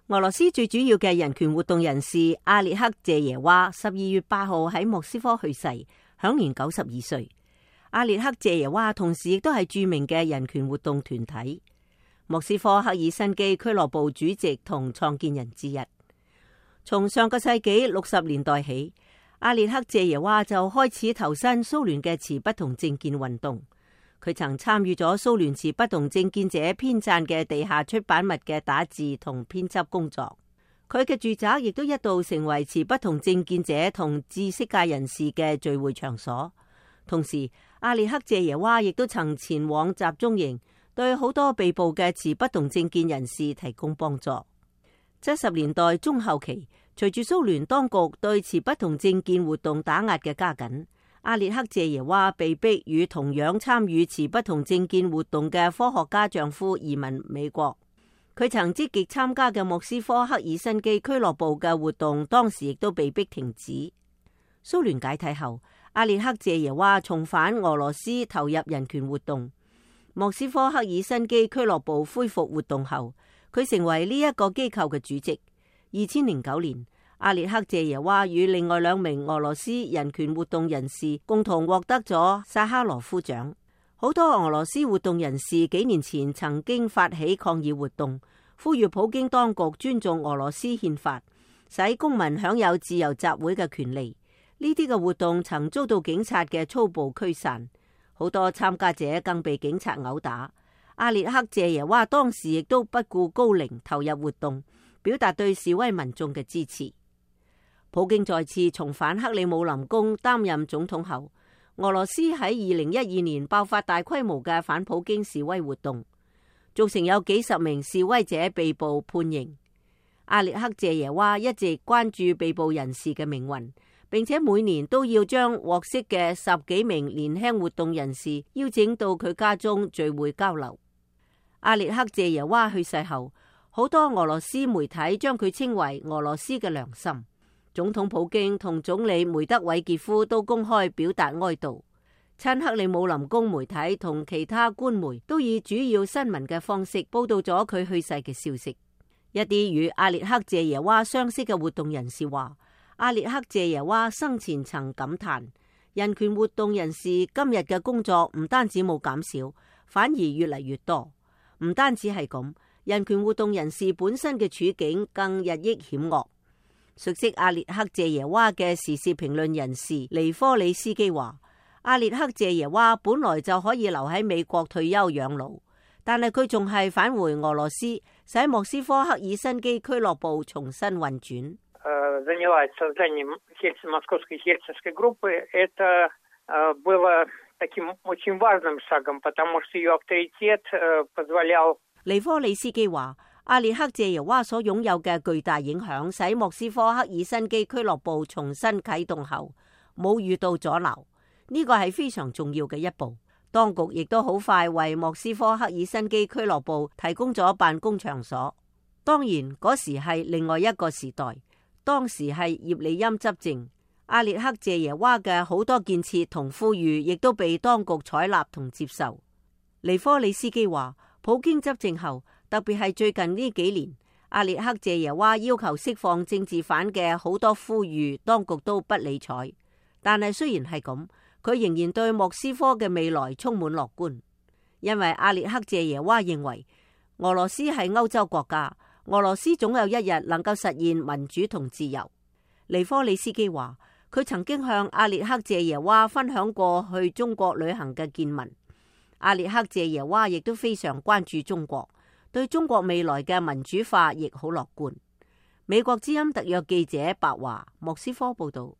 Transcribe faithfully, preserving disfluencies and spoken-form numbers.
俄羅斯最主要嘅人權活動人士阿列克謝耶娃十二月八號喺莫斯科去世，享年九十二歲。阿列克謝耶娃同時亦都係著名嘅人權活動團體莫斯科赫爾辛基俱樂部主席同創建人之一。從上個世紀六十年代起，阿列克謝耶娃就開始投身蘇聯嘅持不同政見運動。佢曾參與咗蘇聯持不同政見者編撰嘅地下出版物嘅打字同編輯工作。佢嘅住宅亦都一度成為持不同政見者同知識界人士嘅聚會場所。同時，阿列克謝耶娃亦都曾前往集中營，對好多被捕嘅持不同政見人士提供幫助。七十年代中後期，隨住蘇聯當局對持不同政見活動打壓嘅加緊，阿列克謝耶娃被逼與同樣參與持不同政見活動嘅科學家丈夫移民美國。佢曾積極參加嘅莫斯科赫爾辛基俱樂部嘅活動，當時亦都被逼停止。蘇聯解體後，阿列克謝耶娃重返俄羅斯投入人權活動。莫斯科赫爾辛基俱樂部恢復活動後，佢成為呢一個機構嘅主席。二千零九年，阿列克謝耶娃與另外兩名俄羅斯人權活動人士共同獲得咗薩哈羅夫獎。好多俄羅斯活動人士幾年前曾經發起抗議活動，呼籲普京當局尊重俄羅斯憲法，使公民享有自由集會嘅權利。呢啲嘅活動曾遭到警察嘅粗暴驅散，好多參加者更被警察毆打。阿列克謝耶娃當時亦都不顧高齡投入活動，表達對示威民眾嘅支持。普京再次重返克里姆林宮擔任總統後，俄羅斯喺二零一二年爆發大規模嘅反普京示威活動，造成有幾十名示威者被捕判刑。阿列克謝耶娃一直關注被捕人士嘅命運，並且每年都要將獲釋嘅十幾名年輕活動人士邀請到佢家中聚會交流。阿列克謝耶娃去世後，好多俄羅斯媒體將佢稱為俄羅斯嘅良心。總統普京同總理梅德韋傑夫都公開表達哀悼。親克里姆林宮媒體同其他官媒都以主要新聞嘅方式報道咗佢去世嘅消息。一啲與阿列克謝耶娃相識嘅活動人士話，阿列克謝耶娃生前曾感嘆，人權活動人士今日嘅工作唔單止冇減少，反而越嚟越多。唔單止係咁，人權活動人士本身嘅處境更日益險惡。熟悉阿列克謝耶娃嘅時事評論人士尼科里斯基話，阿列克謝耶娃本來就可以留喺美國退休養老，但係佢仲係返回俄羅斯，使莫斯科赫爾辛基俱樂部重新運轉。Занялась созданием московской хельсинской группы. Это было таким очень важным шагом, потому что ее авторитет позволял. 尼科里斯基話，阿列克謝耶娃所擁有嘅巨大影響，使莫斯科赫爾辛基俱樂部重新啟動後冇遇到阻撓，呢個係非常重要嘅一步。當局亦都好快為莫斯科赫爾辛基俱樂部提供咗辦公場所。當然嗰時係另外一個時代，當時係葉利欽執政，阿列克謝耶娃嘅好多建設同呼籲亦都被當局採納同接受。尼科里斯基話，普京執政後，特別係最近呢幾年，阿列克謝耶娃要求釋放政治犯嘅好多呼籲，當局都不理睬。但係雖然係咁，佢仍然對莫斯科嘅未來充滿樂觀，因為阿列克謝耶娃認為俄羅斯係歐洲國家，俄羅斯總有一日能夠實現民主同自由。尼科里斯基話，佢曾經向阿列克謝耶娃分享過去中國旅行嘅見聞。阿列克謝耶娃亦都非常關注中國，對中國未來嘅民主化亦好樂觀。美國之音特約記者白華，莫斯科報道。